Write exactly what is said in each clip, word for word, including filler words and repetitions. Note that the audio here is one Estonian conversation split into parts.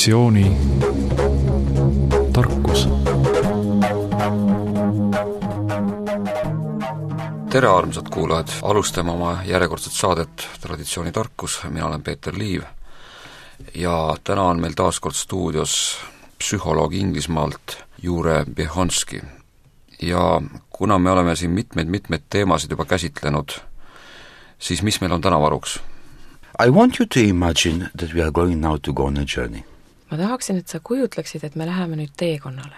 traditsiooni tarkus. Tere, armsad kuulajad! Alustame oma järjekordset saadet Traditsiooni tarkus. Mina olen Peeter Liiv ja täna on meil taas kord stuudios psühholoog Inglismaalt Jure Běhonski. Ja kuna me oleme siin mitmeid-mitmeid teemasid juba käsitlenud, siis mis meil on täna varuks? I want you to imagine that we are going now to go on a journey. Ma tahaksin, et sa kujutleksid, et me läheme nüüd teekonnale.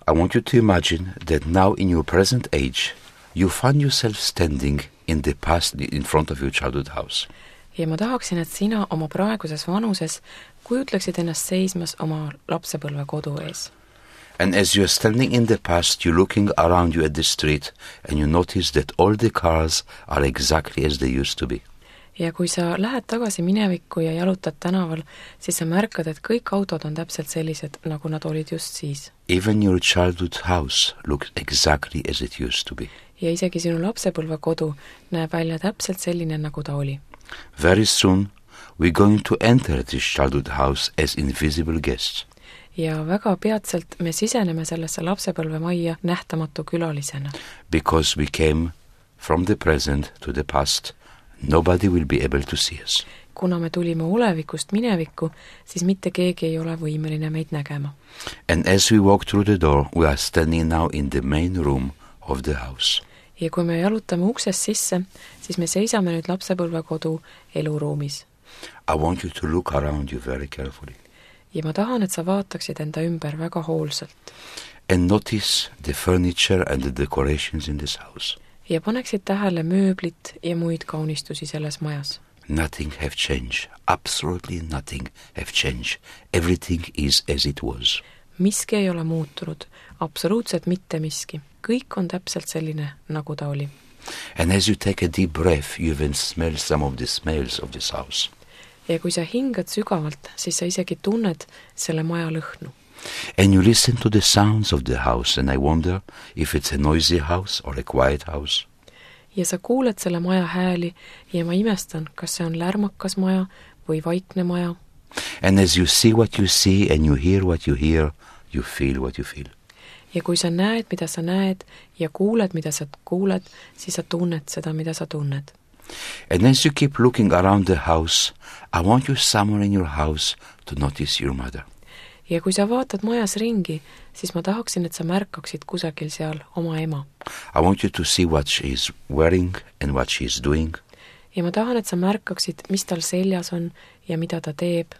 I want you to imagine that now in your present age you find yourself standing in the past in front of your childhood house. Ja ma tahaksin, et sina oma praeguses vanuses kujutleksid ennast seismas oma lapsepõlve kodu ees. And as you are standing in the past, you're looking around you at the street and you notice that all the cars are exactly as they used to be. Ja kui sa lähed tagasi minevikku ja jalutad tänaval, siis sa märkad, et kõik autod on täpselt sellised, nagu nad olid just siis. Even your childhood house looks exactly as it used to be. Ja isegi sinu lapsepõlve kodu näeb välja täpselt selline, nagu ta oli. Very soon we're going to enter this childhood house as invisible guests. Ja väga peatselt me siseneme sellesse lapsepõlve majja nähtamatu külalisena. Because we came from the present to the past, nobody will be able to see us. Kuna me tulime olevikust minevikku, siis mitte keegi ei ole võimeline meid nägema. And as we walk through the door, we are standing now in the main room of the house. Ja kui me jalutame uksest sisse, siis me seisame nüüd lapsepõlve kodu eluruumis. I want you to look around you very carefully. Ja ma tahan, et sa vaataksid enda ümber väga hoolsalt. And notice the furniture and the decorations in this house. Ja paneksid tähele mööblit ja muid kaunistusi selles majas. Nothing have changed. Absolutely nothing have changed. Everything is as it was. Miski ei ole muutunud. Absoluutselt mitte miski. Kõik on täpselt selline, nagu ta oli. And as you take a deep breath, you even smell some of the smells of this house. Ja kui sa hingad sügavalt, siis sa isegi tunned selle maja lõhnu. And you listen to the sounds of the house and I wonder if it's a noisy house or a quiet house. Ja sa kuuled selle maja hääli ja ma imestan, kas see on lärmakas maja või vaikne maja. And as you see what you see and you hear what you hear, you feel what you feel. Ja kui sa näed, mida sa näed ja kuuled, mida sa kuuled, siis sa tunned seda, mida sa tunned. And as you keep looking around the house, I want you somewhere in your house to notice your mother. Ja kui sa vaatad majas ringi, siis ma tahaksin, et sa märkaksid kusagil seal oma ema. I want you to see what she is wearing and what she is doing. Ja ma tahan, et sa märkaksid, mis tal seljas on ja mida ta teeb.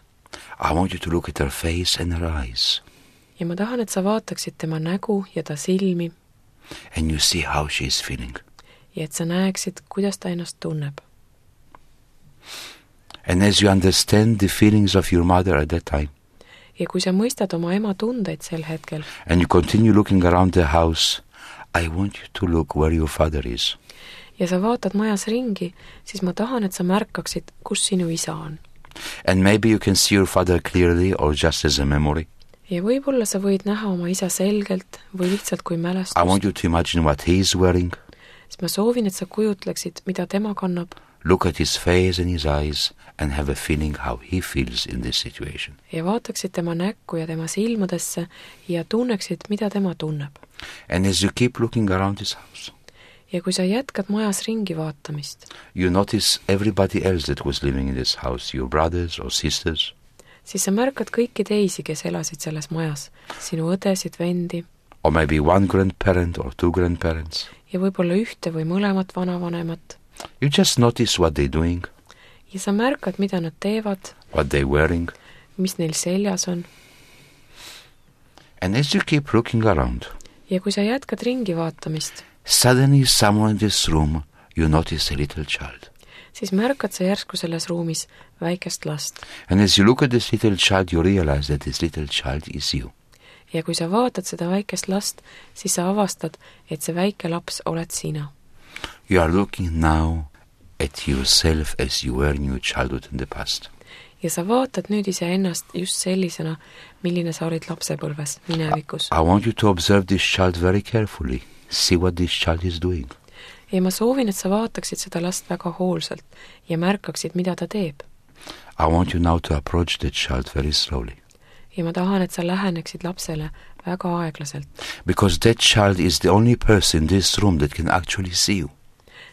I want you to look at her face and her eyes. Ja ma tahan, et sa vaataksid tema nägu ja ta silmi. And you see how she is feeling. Ja et sa näeksid, kuidas ta ennast tunneb. And as you understand the feelings of your mother at that time, ja kui sa mõistad oma ema tundeid sel hetkel, and you continue looking around the house, I want you to look where your father is. Ja sa vaatad majas ringi, siis ma tahan, et sa märkaksid, kus sinu isa on. And maybe you can see your father clearly or just as a memory. Ja võib-olla sa võid näha oma isa selgelt või lihtsalt kui mälestust. I want you to imagine what he is wearing. Siis ma soovin, et sa kujutleksid, mida tema kannab. Look at his face and his eyes and have a feeling how he feels in this situation. Ja vaataksid tema näkku ja tema silmadesse ja tunneksid, mida tema tunneb. And as you keep looking around this house, ja kui sa jätkad majas ringi vaatamist, you notice everybody else that was living in this house, your brothers or sisters. Siis sa märkad kõiki teisi, kes elasid selles majas, sinu õdesid, vendi. Or maybe one grandparent or two grandparents. Ja võib-olla ühte või mõlemat vanavanemat. You just notice what they're doing. Ja sa märkad, mida nad teevad. What they're wearing. Mis neil seljas on. And as you keep looking around, ja kui sa jätkad ringi vaatamist, suddenly somewhere in this room you notice a little child. Siis märkad sa järsku selles ruumis väikest last. And as you look at this little child, you realize that this little child is you. Ja kui sa vaatad seda väikest last, siis sa avastad, et see väike laps oled sina. You are looking now at yourself as you were in your childhood in the past. Ja sa vaatad nüüd ise ennast just sellisena, milline sa olid lapsepõlves, minevikus. I want you to observe this child very carefully. See what this child is doing. Ja ma soovin, et sa vaataksid seda last väga hoolsalt ja märkaksid, mida ta teeb. I want you now to approach the child very slowly. ja ma tahan, et sa läheneksid lapsele väga aeglaselt. Because that child is the only person in this room that can actually see you.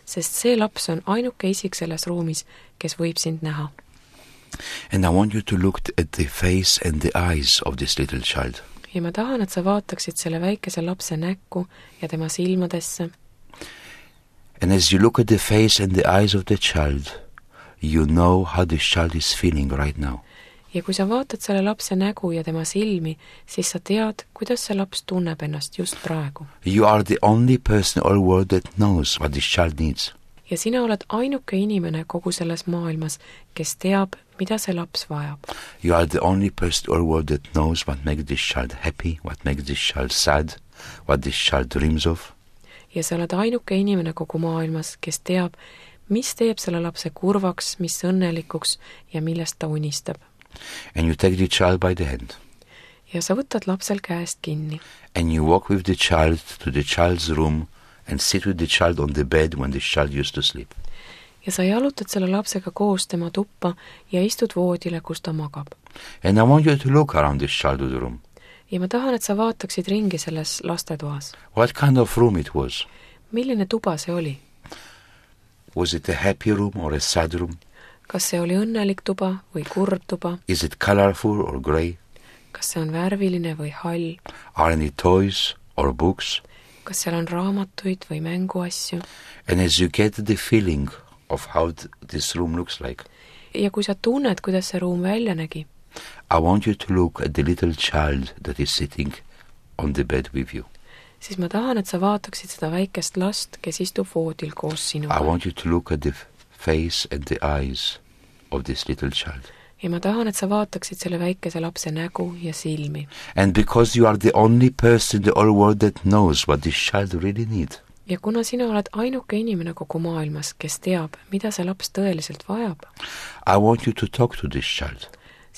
Sest see laps on ainuke isik selles ruumis, kes võib sind näha. And I want you to look at the face and the eyes of this little child. ja ma tahan, et sa vaataksid selle väikese lapse näkku ja tema silmadesse. And as you look at the face and the eyes of the child, you know how this child is feeling right now. ja kui sa vaatad selle lapse nägu ja tema silmi, siis sa tead, kuidas see laps tunneb ennast just praegu. You are the only person in all world that knows what this child needs. ja sina oled ainuke inimene kogu selles maailmas, kes teab, mida see laps vajab. You are the only person in all world that knows what makes this child happy, what makes this child sad, what this child dreams of. ja sa oled ainuke inimene kogu maailmas, kes teab, mis teeb selle lapse kurvaks, mis õnnelikuks ja millest ta unistab. And you take the child by the hand. ja sa võtad lapsel käest kinni. And you walk with the child to the child's room and sit with the child on the bed when the child used to sleep. ja sa jalutad selle lapsega koos tema tuppa ja istud voodile, kus ta magab. And I want you to look around this childhood room. ja ma tahan, et sa vaataksid ringi selles lastetoas. What kind of room it was? milline tuba see oli? Was it a happy room or a sad room? kas see oli õnnelik tuba või kurb tuba? Is it colorful or grey? kas see on värviline või hall? Are any toys or books? kas seal on raamatuid või mänguasju? And as you get the feeling of how th- this room looks like, ja kui sa tunned, kuidas see ruum välja nägi, I want you to look at the little child that is sitting on the bed with you. siis ma tahan, et sa vaataksid seda väikest last, kes istub voodil koos I sinuga. want you to look at the f- face and the eyes of this little child. ja ma tahan, et sa vaataksid selle väikese lapse nägu ja silmi. And because you are the only person in the whole world that knows what this child really needs, ja kuna sina oled ainuke inimene kogu maailmas, kes teab, mida see laps tõeliselt vajab, I want you to talk to this child.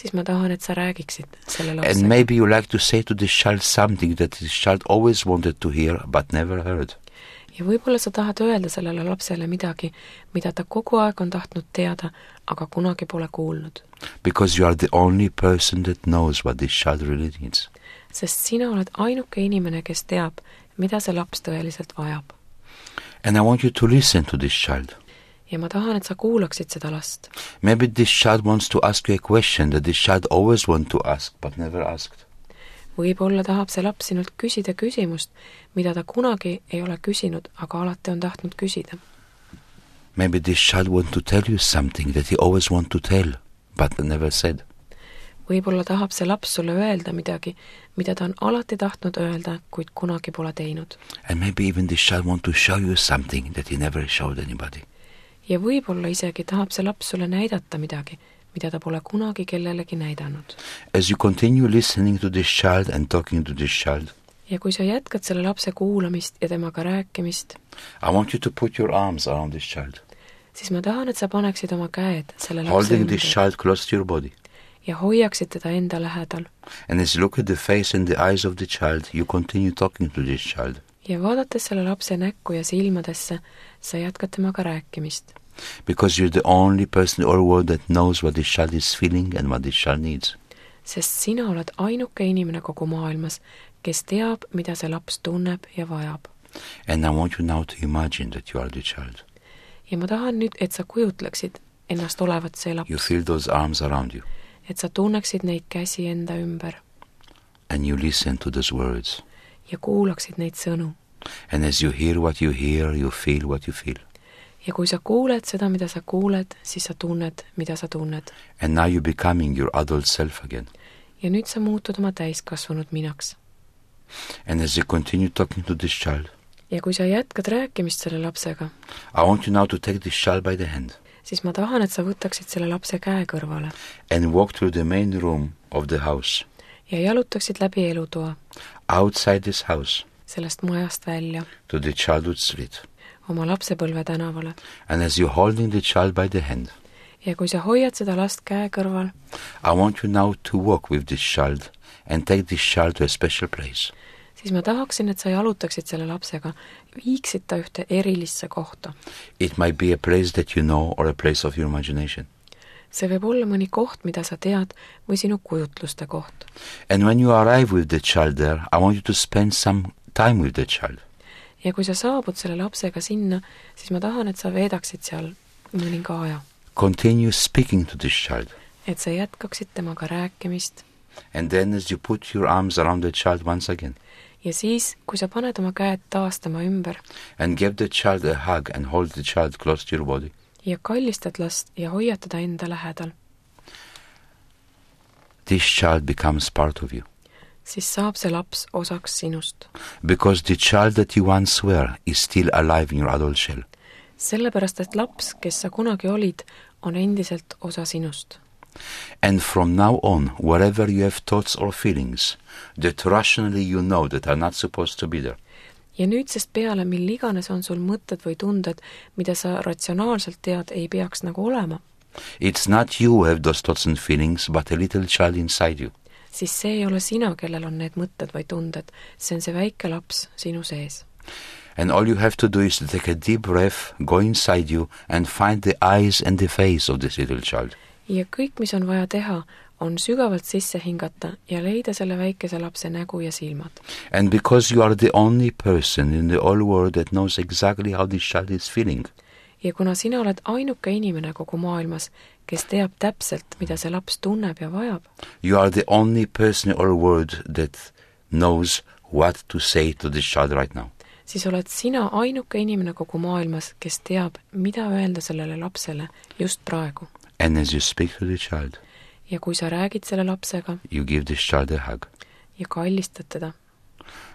siis ma tahan, et sa räägiksid selle And lapsega. maybe you like to say to this child something that this child always wanted to hear but never heard. ja võib-olla sa tahad öelda sellele lapsele midagi, mida ta kogu aeg on tahtnud teada, aga kunagi pole kuulnud. Because you are the only person that knows what this child really needs. sest sina oled ainuke inimene, kes teab, mida see laps tõeliselt vajab. And I want you to listen to this child. ja ma tahan, et sa kuulaksid seda last. Maybe this child wants to ask you a question that this child always want to ask but never asked. võib-olla tahab see laps sinult küsida küsimust, mida ta kunagi ei ole küsinud, aga alati on tahtnud küsida. Maybe this child want to tell you something that he always want to tell but never said. võib-olla tahab see laps sulle öelda midagi, mida ta on alati tahtnud öelda, kuid kunagi pole teinud. And maybe even this child want to show you something that he never showed anybody. ja võib-olla isegi tahab see laps sulle näidata midagi, mida ta pole kunagi kellelegi näidanud. As you continue listening to this child and talking to this child, ja kui sa jätkad selle lapse kuulamist ja temaga rääkimist, I want you to put your arms around this child, siis ma tahan, et sa paneksid oma käed selle lapse holding this ümber child close to your body. ja hoiaksid teda enda lähedal. And as you look at the face and the eyes of the child, you continue talking to this child. ja vaadates selle lapse näkku ja silmadesse, sa jätkad temaga rääkimist. Because you're the only person in the whole world that knows what this child is feeling and what this child needs. sest sina oled ainuke inimene kogu maailmas, kes teab, mida see laps tunneb ja vajab. And I want you now to imagine that you are the child. ja ma tahan nüüd, et sa kujutleksid ennast olevat see You laps, feel those arms around you. et sa tunneksid neid käsi enda ümber And you listen to those words. ja kuulaksid neid sõnu. And as you hear what you hear, you feel what you feel. ja kui sa kuuled seda, mida sa kuuled, siis sa tunned, mida sa tunned. And now you're becoming your adult self again. ja nüüd sa muutud oma täiskasvanud minaks. And as you continue talking to this child, ja kui sa jätkad rääkimist selle lapsega, I want you now to take this child by the hand siis ma tahan, et sa võtaksid selle lapse käe kõrvale and walk through the main room of the house, ja jalutaksid läbi elutoa, outside this house, sellest majast välja, to the childhood street. oma lapsepõlve tänavale. And as you're holding the child by the hand, ja kui sa hoiad seda last käe kõrval, I want you now to walk with this child and take this child to a special place. siis ma tahaksin, et sa jalutaksid selle lapsega, viiksid ta ühte erilisse kohta. It might be a place that you know or a place of your imagination. see võib olla mõni koht, mida sa tead, või sinu kujutluste koht. And when you arrive with the child there, I want you to spend some time with the child. Ja kui sa saabud selle lapsega sinna, siis ma tahan, et sa veedaksid seal mõninga aja. Continue speaking to this child. Et sa jätkaksid temaga rääkimist. And then as you put your arms around the child once again. Ja siis, kui sa paned oma käed taas tema ümber. And give the child a hug and hold the child close to your body. Ja kallistad last ja hoiad teda enda lähedal. This child becomes part of you. Siis saab see laps osaks sinust. Because the child that you once were is still alive in your adult shell. Sellepärast, et laps, kes sa kunagi olid, on endiselt osa sinust. And from now on, wherever you have thoughts or feelings that rationally you know that are not supposed to be there. Ja nüüdsest peale, mil iganes on sul mõtted või tunded, mida sa ratsionaalselt tead, ei peaks nagu olema. It's not you who have those thoughts and feelings, but a little child inside you. Siis see ei ole sina, kellel on need mõtted või tunded. See on see väike laps sinu sees. And all you have to do is to take a deep breath, go inside you and find the eyes and the face of this little child. Ja kõik, mis on vaja teha, on sügavalt sisse hingata ja leida selle väikese lapse nägu ja silmad. And because you are the only person in the whole world that knows exactly how this child is feeling. Ja kuna sina oled ainuke inimene kogu maailmas, kes teab täpselt, mida see laps tunneb ja vajab. You are the only person in the whole world that knows what to say to this child right now. Siis oled sina ainuke inimene kogu maailmas, kes teab, mida öelda sellele lapsele just praegu. And as you speak to the child, ja kui sa räägid selle lapsega, you give this child a hug. Ja kallistad teda.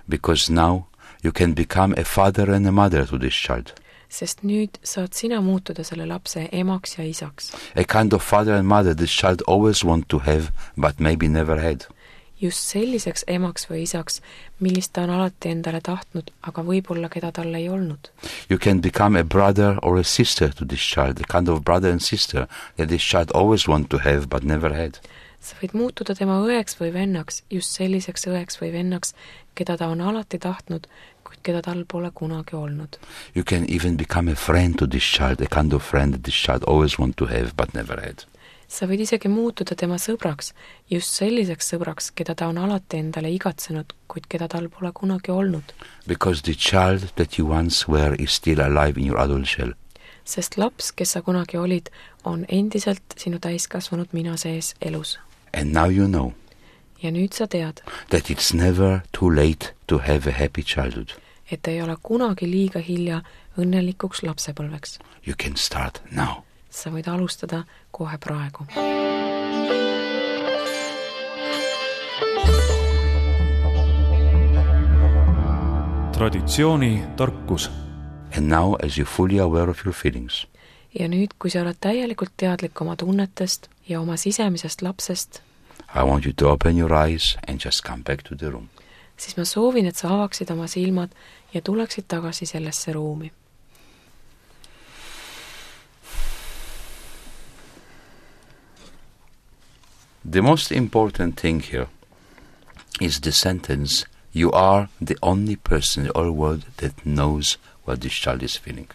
Because now you can become a father and a mother to this child. Sest nüüd saad sina muutuda selle lapse emaks ja isaks. A kind of father and mother this child always want to have, but maybe never had. Just selliseks emaks või isaks, millist ta on alati endale tahtnud, aga võib-olla keda tal ei olnud. You can become a brother or a sister to this child, a kind of brother and sister that this child always want to have, but never had. Sa võid muutuda tema õeks või vennaks, just selliseks õeks või vennaks, keda ta on alati tahtnud, kuid keda tal pole kunagi olnud. You can even become a friend to this child, a kind of friend that this child always want to have, but never had. Sa võid isegi muutuda tema sõbraks, just selliseks sõbraks, keda ta on alati endale igatsenud, kuid keda tal pole kunagi olnud. Because the child that you once were is still alive in your adult shell. Sest laps, kes sa kunagi olid, on endiselt sinu täiskasvanud mina sees elus. And now you know. Ja nüüd sa tead. That it's never too late to have a happy childhood. Et ei ole kunagi liiga hilja õnnelikuks lapsepõlveks. You can start now. Sa võid alustada kohe praegu. Traditsiooni tarkus. And now as you're fully aware of your feelings. Ja nüüd, kui sa oled täielikult teadlik oma tunnetest ja oma sisemisest lapsest, I want you to open your eyes and just come back to the room. Siis ma soovin, et sa avaksid oma silmad ja tuleksid tagasi sellesse ruumi. The most important thing here is the sentence, you are the only person in the whole world that knows what this child is feeling.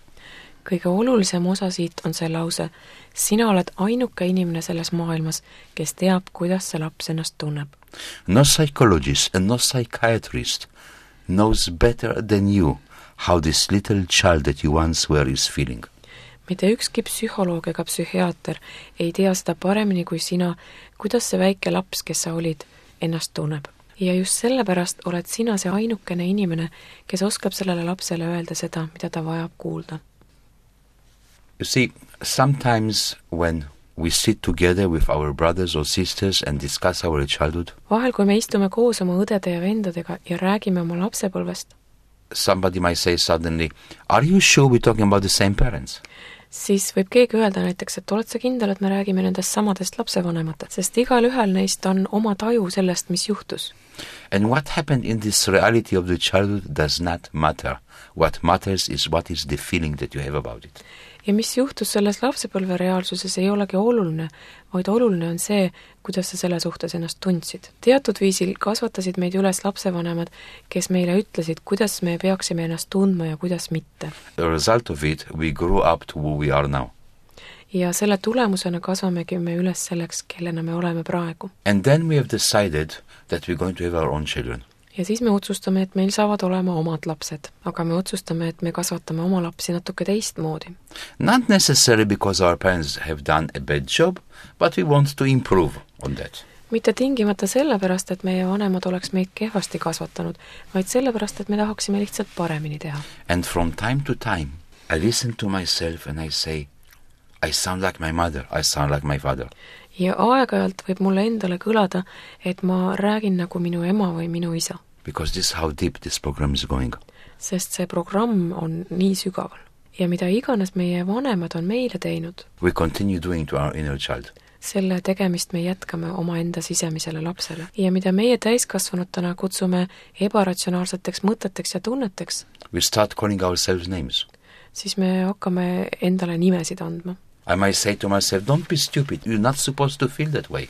Kõige olulisem osa siit on see lause, sina oled ainuke inimene selles maailmas, kes teab, kuidas see laps ennast tunneb. No psychologist and no psychiatrist knows better than you how this little child that you once were is feeling. Mitte ükski psühholoog ega psühhiaater ei tea seda paremini kui sina, kuidas see väike laps, kes sa olid, ennast tunneb. Ja just sellepärast oled sina see ainukene inimene, kes oskab sellele lapsele öelda seda, mida ta vajab kuulda. You see, sometimes when we sit together with our brothers or sisters and discuss our childhood, vahel, kui me istume koos oma õdede ja vendadega ja räägime oma lapsepõlvest, somebody might say suddenly, are you sure we're talking about the same parents? Siis võib keegi öelda näiteks, et oled sa kindel, et me räägime nendest samadest lapsevanematest, sest igal ühel neist on oma taju sellest, mis juhtus. And what happened in this reality of the childhood does not matter. What matters is what is the feeling that you have about it. Ja mis juhtus selles lapsepõlve reaalsuses ei olegi oluline, vaid oluline on see, kuidas sa selle suhtes ennast tundsid. Teatud viisil kasvatasid meid üles lapsevanemad, kes meile ütlesid, kuidas me peaksime ennast tundma ja kuidas mitte. The result of it, we grew up to who we are now. ja selle tulemusena kasvamegi me üles selleks, kellena me oleme praegu. And then we have decided that we're going to have our own children. Ja siis me otsustame, et meil saavad olema omad lapsed, aga me otsustame, et me kasvatame oma lapsi natuke teistmoodi. Not necessarily because our parents have done a bad job, but we want to improve on that. Mitte tingimata sellepärast, et meie vanemad oleks meid kehvasti kasvatanud, vaid sellepärast, et me tahaksime lihtsalt paremini teha. And from time to time, I listen to myself and I say, I sound like my mother, I sound like my father. Ja aeg-ajalt võib mulle endale kõlada, et ma räägin nagu minu ema või minu isa. Because this is how deep this program is going. Sest see programm on nii sügaval. Ja mida iganes meie vanemad on meile teinud, we continue doing to our inner child. Selle tegemist me jätkame oma enda sisemisele lapsele. Ja mida meie täiskasvanutena kutsume ebaratsionaalseteks mõteteks ja tunneteks, we start calling ourselves names. Siis me hakkame endale nimesid andma. I might say to myself, don't be stupid, you're not supposed to feel that way.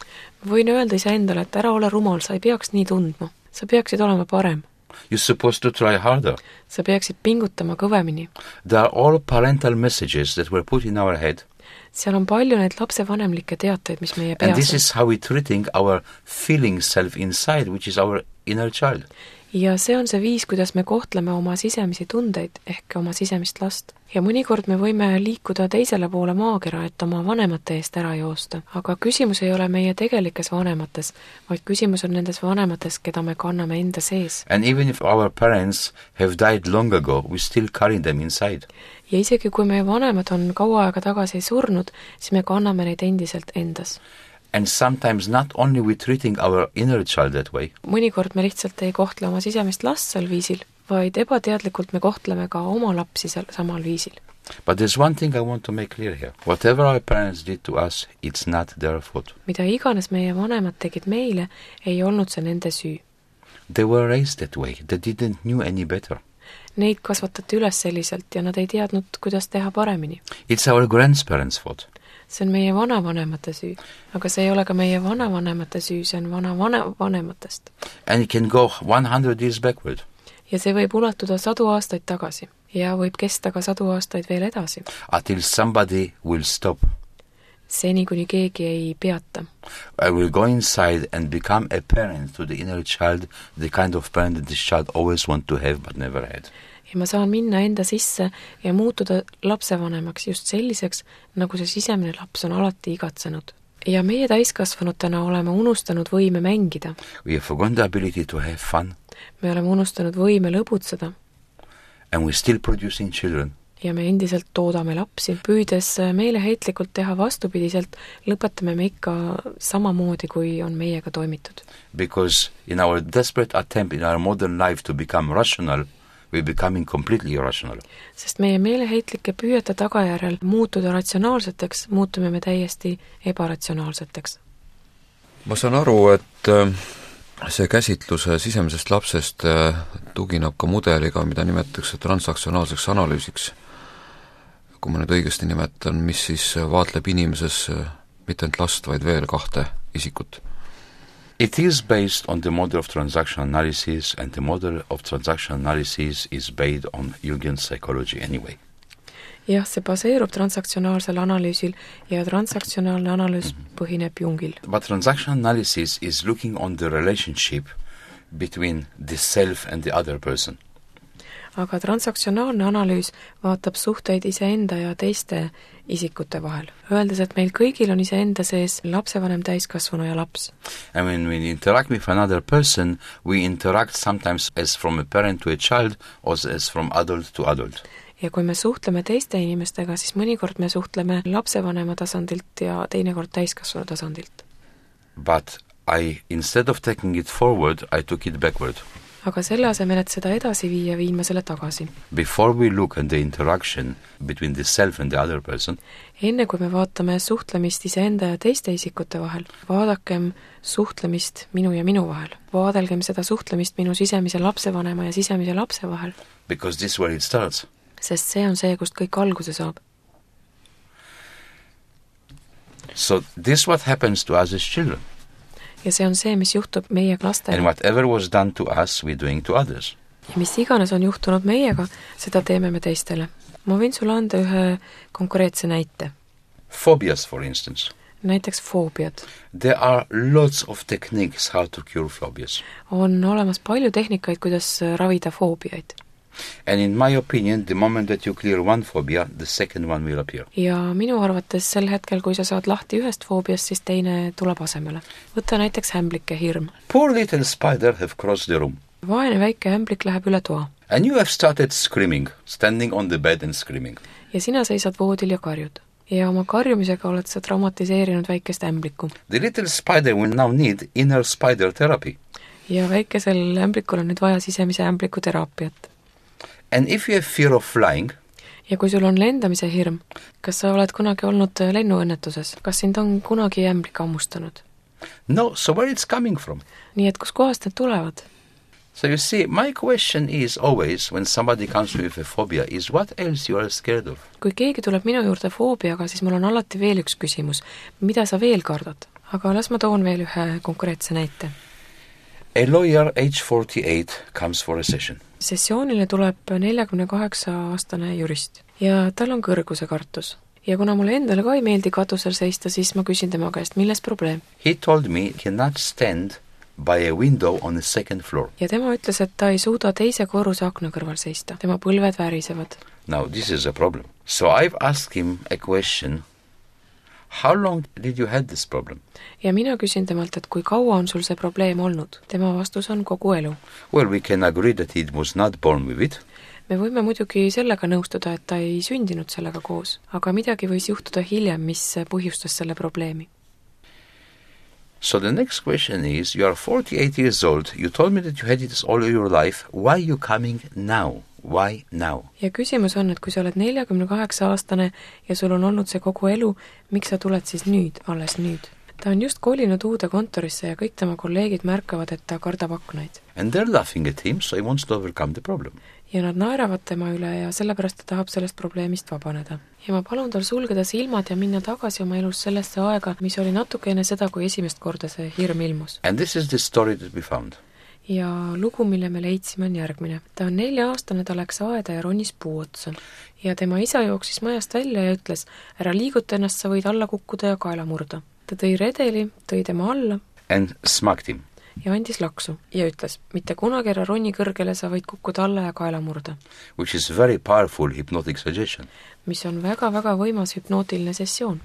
Võin öelda ise endale, et ära ole rumal, sa ei peaks nii tundma. Sa peaksid olema parem. You're supposed to try harder. Sa peaksid pingutama kõvemini. There are all parental messages that were put in our head. Seal on palju neid lapsevanemlikke teateid, mis meie peas on. And this is how we're treating our feeling self inside, which is our inner child. Ja see on see viis, kuidas me kohtleme oma sisemisi tundeid ehk oma sisemist last. Ja mõnikord me võime liikuda teisele poole maakera, et oma vanemate eest ära joosta. Aga küsimus ei ole meie tegelikes vanemates, vaid küsimus on nendes vanemates, keda me kanname enda sees. And even if our parents have died long ago, we still carry them inside. Ja isegi kui meie vanemad on kaua aega tagasi surnud, siis me kanname neid endiselt endas. And sometimes not only we treating our inner child that way. Mõnikord me lihtsalt ei kohtle oma sisemist last sel viisil, vaid ebateadlikult me kohtleme ka oma lapsi sel samal viisil. But there's one thing I want to make clear here. Whatever our parents did to us, it's not their fault. Mida iganes meie vanemad tegid meile, ei olnud see nende süü. They were raised that way. They didn't knew any better. Neid kasvatati üles selliselt ja nad ei teadnud, kuidas teha paremini. It's our grandparents' fault. See on meie vanavanemate süü, aga see ei ole ka meie vanavanemate süü, see on vanavanematest. And it can go one hundred years backward. Ja see võib ulatuda sadu aastaid tagasi ja võib kesta ka sadu aastaid veel edasi. Until somebody will stop. Seni kuni keegi ei peata. I will go inside and become a parent to the inner child, the kind of parent that this child always want to have but never had. Ja ma saan minna enda sisse ja muutuda lapsevanemaks just selliseks, nagu see sisemine laps on alati igatsenud. Ja meie täiskasvanutena oleme unustanud võime mängida. We have forgotten the ability to have fun. Me oleme unustanud võime lõbutseda. And we're still producing children. Ja me endiselt toodame lapsi. Püüdes meeleheitlikult teha vastupidiselt, lõpetame me ikka samamoodi, kui on meiega toimitud. Because in our desperate attempt in our modern life to become rational, we're becoming completely irrational. Sest meie meeleheitlike püüete tagajärjel muutuda ratsionaalseteks, muutume me täiesti ebaratsionaalseteks. Ma saan aru, et see käsitluse sisemisest lapsest tugineb ka mudeliga, mida nimetatakse transaktsionaalseks analüüsiks. Kui ma nüüd õigesti nimetan, mis siis vaatleb inimeses mitte ainult last, vaid veel kahte isikut. It is based on the model of transaction analysis, and the model of transaction analysis is based on Jungian psychology anyway. Jah, see baseerub transaktsionaalsel analüüsil ja transaktsionaalne analüüs mm-hmm. põhineb Jungil. But transaction analysis is looking on the relationship between the self and the other person. Aga transaktsionaalne analüüs vaatab suhteid iseenda ja teiste isikute vahel, öeldes, et meil kõigil on iseenda sees lapsevanem, täiskasvanu ja laps. And when we interact with another person, we interact sometimes as from a parent to a child or as from adult to adult. Ja kui me suhtleme teiste inimestega, siis mõnikord me suhtleme lapsevanema tasandilt ja teinekord täiskasvanu tasandilt. But I, instead of taking it forward, I took it backward. Aga selle asemel, et seda edasi viia, viin ma selle tagasi. Before we look at the interaction between the self and the other person, enne kui me vaatame suhtlemist iseenda ja teiste isikute vahel, vaadakem suhtlemist minu ja minu vahel. Vaadelgem seda suhtlemist minu sisemise lapsevanema ja sisemise lapse vahel. Because this is where it starts. Sest see on see, kust kõik alguse saab. So this what happens to us as children. Ja see on see, mis juhtub meie lastele. And whatever was done to us, we're doing to others. Ja mis iganes on juhtunud meiega, seda teeme me teistele. Ma võin sulle anda ühe konkreetse näite. Phobias, for instance. näiteks foobiad. There are lots of techniques how to cure phobias. On olemas palju tehnikaid, kuidas ravida foobiaid. And in my opinion, the moment that you clear one phobia, the second one will appear. Ja minu arvates sel hetkel, kui sa saad lahti ühest foobiast, siis teine tuleb asemele. Võta näiteks hämblike hirm. Poor little spider have crossed the room. Vaene väike hämblik läheb üle toa. And you have started screaming, standing on the bed and screaming. Ja sina seisad voodil ja karjud. Ja oma karjumisega oled sa traumatiseerinud väikest ämbliku. The little spider will now need inner spider therapy. Ja väikesel ämblikul on nüüd vaja sisemise ämbliku teraapiat. And if you have fear of flying, ja kui sul on lendamise hirm, kas sa oled kunagi olnud lennuõnnetuses? Kas sind on kunagi ämblik ammustanud? No, so where it's coming from? Nii et kus kohast need tulevad? So you see, my question is always, when somebody comes with a phobia, is what else you are scared of? Kui keegi tuleb minu juurde foobiaga, siis mul on alati veel üks küsimus. Mida sa veel kardad? Aga las ma toon veel ühe konkreetse näite. A lawyer age forty-eight comes for a session. Sessioonile tuleb neljakümne kaheksa aastane jurist ja tal on kõrguse kartus. Ja kuna mulle endale ka ei meeldi katusel seista, siis ma küsin tema käest, milles probleem? He told me he cannot stand by a window on the second floor. Ja tema ütles, et ta ei suuda teise korruse akna kõrval seista. Tema põlved värisevad. Now, this is a problem. So I've asked him a question. How long did you have this problem? Ja mina küsin temalt, et kui kaua on sul see probleem olnud? Tema vastus on kogu elu. Well, we can agree that he was not born with it. Me võime muidugi sellega nõustuda, et ta ei sündinud sellega koos, aga midagi võis juhtuda hiljem, mis põhjustas selle probleemi. So the next question is, you are forty-eight years old, you told me that you had it all your life, why are you coming now? Why now? Ja küsimus on, et kui sa oled neljakümne kaheksa aastane ja sul on olnud see kogu elu, miks sa tuled siis nüüd, alles nüüd? Ta on just kolinud uude kontorisse ja kõik tema kolleegid märkavad, et ta kardab aknaid. And they're laughing at him, so he wants to overcome the problem. Ja nad naeravad tema üle ja sellepärast ta tahab sellest probleemist vabaneda. Ja ma palun tal sulgeda silmad ja minna tagasi oma elus sellesse aega, mis oli natuke enne seda, kui esimest korda see hirm ilmus. And this is the story that we found. Ja lugu, mille me leidsime, on järgmine. Ta on nelja aastane, ta läks aeda ja ronis puu otsa. Ja tema isa jooksis majast välja ja ütles, ära liiguta ennast, sa võid alla kukkuda ja kaela murda. Ta tõi redeli, tõi tema alla and smacked him. Ja andis laksu ja ütles, mitte kunagi ära roni kõrgele, sa võid kukkuda alla ja kaela murda. Which is very powerful hypnotic suggestion. Mis on väga-väga võimas hüpnootiline sessioon.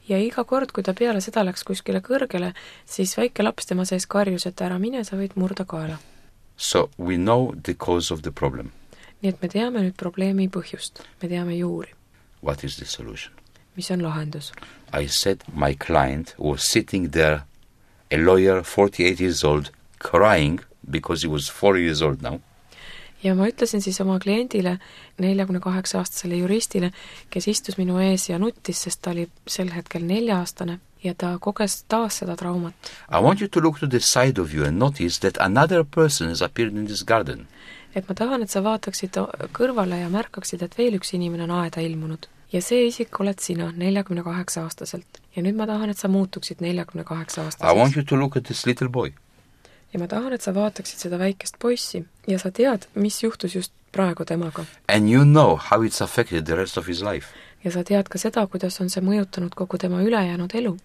Ja iga kord, kui ta peale seda läks kuskile kõrgele, siis väike laps tema sees karjus, et ära mine, sa võid murda kaela. So we know the cause of the problem. Nii et me teame nüüd probleemi põhjust. Me teame juuri. What is the solution? Mis on lahendus? I said my client was sitting there, a lawyer, forty-eight years old, crying because he was four years old now. Ja ma ütlesin siis oma kliendile, neljakümne kaheksa aastasele juristile, kes istus minu ees ja nuttis, sest ta oli sel hetkel nelja aastane ja ta koges taas seda traumat. I want you to look to the side of you and notice that another person has appeared in this garden. Et ma tahan, et sa vaataksid kõrvale ja märkaksid, et veel üks inimene on aeda ilmunud. Ja see isik oled sina, neljakümne kaheksa aastaselt. Ja nüüd ma tahan, et sa muutuksid neljakümne kaheksa aastaselt. I want you to look at this little boy. Ja ma tahan, et sa vaataksid seda väikest poissi ja sa tead, mis juhtus just praegu temaga. And you know how it's affected the rest of his life. Ja sa tead ka seda, kuidas on see mõjutanud kogu tema ülejäänud elu.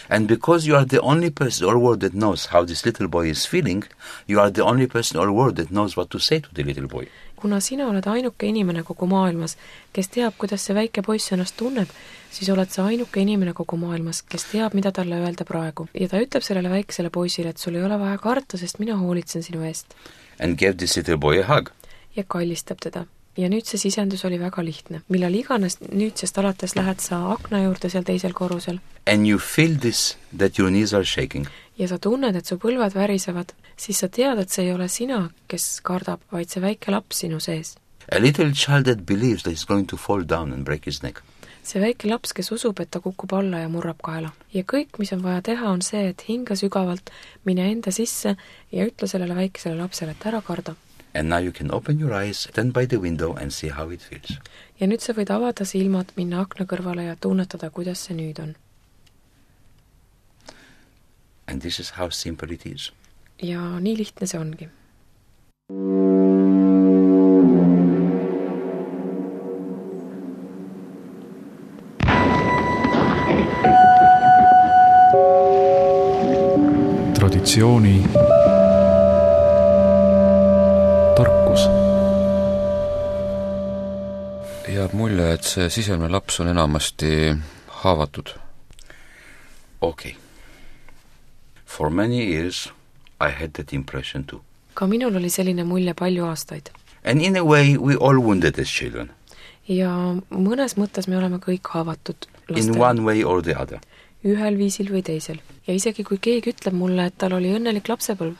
And because you are the only person or world that knows how this little boy is feeling, you are the only person or world that knows what to say to the little boy. Kuna sina oled ainuke inimene kogu maailmas, kes teab, kuidas see väike poiss ennast tunneb, siis oled sa ainuke inimene kogu maailmas, kes teab, mida talle öelda praegu. Ja ta ütleb sellele väiksele poisile, et sul ei ole vaja karta, sest mina hoolitsen sinu eest. And gave this little boy a hug. Ja kallistab teda. Ja nüüd see sisendus oli väga lihtne. Millal iganes nüüdsest alates lähed sa akna juurde seal teisel korrusel. And you feel this, that your knees are shaking. Ja sa tunned, et su põlved värisevad, siis sa tead, et see ei ole sina, kes kardab, vaid see väike laps sinu sees. A little child that believes that he's going to fall down and break his neck. See väike laps, kes usub, et ta kukub alla ja murrab kaela. Ja kõik, mis on vaja teha, on see, et hinga sügavalt, mine enda sisse ja ütle sellele väikesele lapsele, et ära karda. And now you can open your eyes, stand by the window and see how it feels. Ja nüüd sa võid avada silmad, minna akna kõrvale ja tunnetada, kuidas see nüüd on. And this is how simple it is. Ja nii lihtne see ongi. traditsiooni tarkus. Jääb mulje, et see sisemine laps on enamasti haavatud. Okay. For many years I had that impression too. Ka minul oli selline mulje palju aastaid. And in a way we all wounded as children. Ja mõnes mõttes me oleme kõik haavatud lastel. In one way or the other. Ühel viisil või teisel. Ja isegi kui keegi ütleb mulle, et tal oli õnnelik lapsepõlv.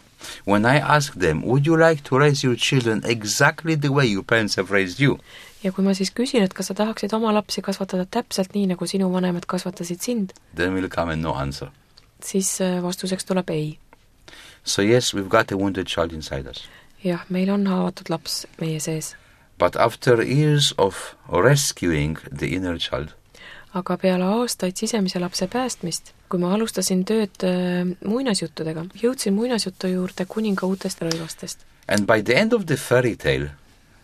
When I ask them, would you like to raise your children exactly the way your parents have raised you? Ja kui ma siis küsin, et kas sa tahaksid oma lapsi kasvatada täpselt nii, nagu sinu vanemad kasvatasid sind, then will come and no answer. Siis vastuseks tuleb ei. So yes, we've got a wounded child inside us. Jah, meil on haavatud laps meie sees. But after years of rescuing the inner child, aga peale aastaid sisemise lapse päästmist, kui ma alustasin tööd muinasjuttudega, jõudsin muinasjutu juurde kuninga uutest rõivastest. And by the end of the fairy tale,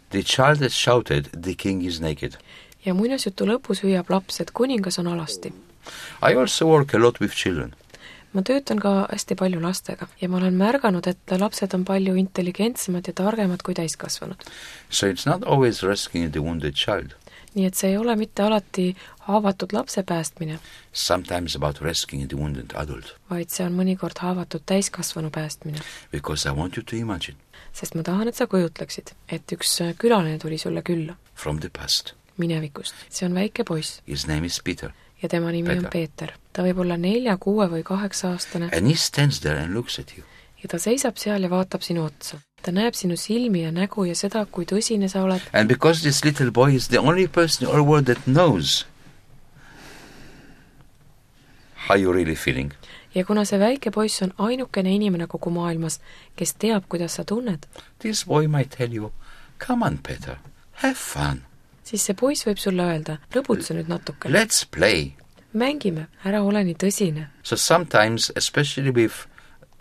the child has shouted, the king is naked. Ja muinasjutu lõpus hüüab laps, et kuningas on alasti. I also work a lot with children. Ma töötan ka hästi palju lastega ja ma olen märganud, et lapsed on palju intelligentsemad ja targemad kui täiskasvanud. So it's not always rescuing the wounded child. Nii et see ei ole mitte alati haavatud lapse päästmine. Sometimes about rescuing the wounded adult. Vaid see on mõnikord haavatud täiskasvanu päästmine. Because I want you to imagine. Sest ma tahan, et sa kujutleksid, et üks külaline tuli sulle külla. From the past. Minevikust. See on väike poiss. His name is Peter. Ja tema nimi Peter. on Peeter. Ta võib olla nelja, kuue või kaheksa aastane. And he stands there and looks at you. Ja ta seisab seal ja vaatab sinu otsa. Ta näeb sinu silmi ja nägu ja seda, kui tõsine sa oled. And because this little boy is the only person in our world that knows how you really feeling. Ja kuna see väike poiss on ainukene inimene kogu maailmas, kes teab, kuidas sa tunned, This boy might tell you, come on, Peter, have fun. siis see poiss võib sulle öelda, lõbutse nüüd natuke. Let's play. Mängime, ära ole nii tõsine. So sometimes, especially with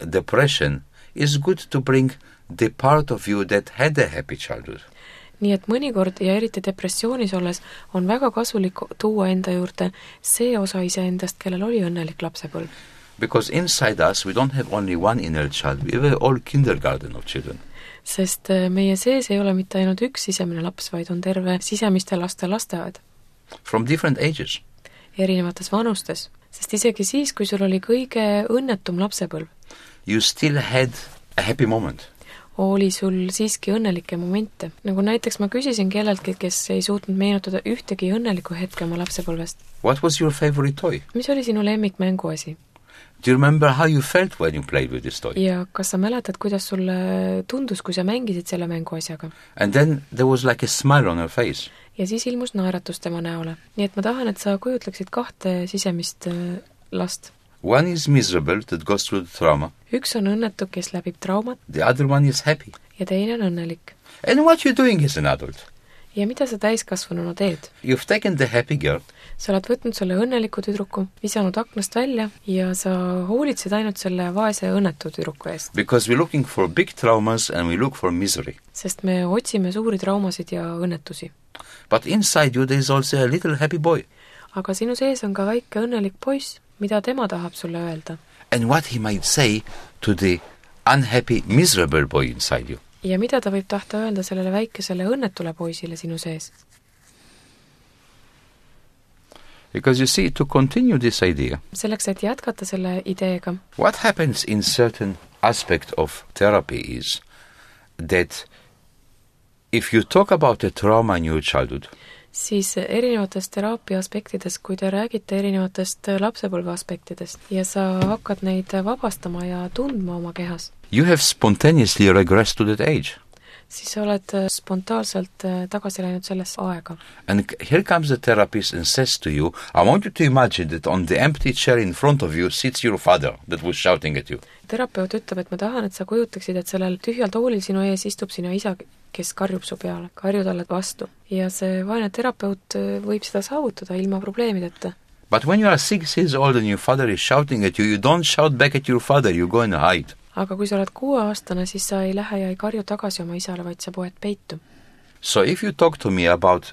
depression, it's good to bring the part of you that had a happy childhood. Nii et mõnikord ja eriti depressioonis olles on väga kasulik tuua enda juurde see osa iseendast, kellel oli õnnelik lapsepõlv. Because inside us we don't have only one inner child, we have all kindergarten of children. Sest meie sees ei ole mitte ainult üks sisemine laps, vaid on terve sisemiste laste lasteaed. From different ages. Erinevates vanustes. Sest isegi siis, kui sul oli kõige õnnetum lapsepõlv, you still had a happy moment. Oli sul siiski õnnelikke momente. Nagu näiteks ma küsisin kelleltki, kes ei suutnud meenutada ühtegi õnnelikku hetke oma lapsepõlvest. What was your favorite toy? Mis oli sinu lemmikmänguasi? Do you remember how you felt when you played with this toy? Ja kas sa mäletad, kuidas sulle tundus, kui sa mängisid selle mänguasjaga? And then there was like a smile on her face. Ja siis ilmus naeratus tema näole. Nii et ma tahan, et sa kujutleksid kahte sisemist last. One is miserable, that goes through the trauma. Üks on õnnetu, kes läbib traumat. The other one is happy. Ja teine on õnnelik. And what you doing as an adult? Ja mida sa täiskasvanuna teed? You've taken the happy girl. Sa oled võtnud selle õnneliku tüdruku, visanud aknast välja ja sa hoolitsed ainult selle vaese õnnetu tüdruku eest. Because we're looking for big traumas and we look for misery. Sest me otsime suuri traumasid ja õnnetusi. But inside you there is also a little happy boy. Aga sinu sees on ka väike õnnelik poiss, mida tema tahab sulle öelda. And what he might say to the unhappy, miserable boy inside you. Ja mida ta võib tahta öelda sellele väikesele õnnetule poisile sinu sees? Because you see, to continue this idea, selleks, et jätkata selle ideega, what happens in certain aspect of therapy is that if you talk about a trauma in your childhood, siis erinevatest teraapia aspektidest, kui te räägite erinevatest lapsepõlve aspektidest ja sa hakkad neid vabastama ja tundma oma kehas, you have spontaneously regressed to that age. Siis sa oled spontaanselt tagasi läinud sellesse aega. And here comes the therapist and says to you, I want you to imagine that on the empty chair in front of you sits your father that was shouting at you. Terapeut ütleb, et ma tahan, et sa kujutaksid, et sellel tühjal toolil sinu ees istub sinu isa, kes karjub su peale, karju talle vastu. Ja see vaene terapeut võib seda saavutada ilma probleemideta. But when you are six years old and your father is shouting at you, you don't shout back at your father, you go and hide. Aga kui sa oled kuueaastane, siis sa ei lähe ja ei karju tagasi oma isale, vaid sa poed peitu. So if you talk to me about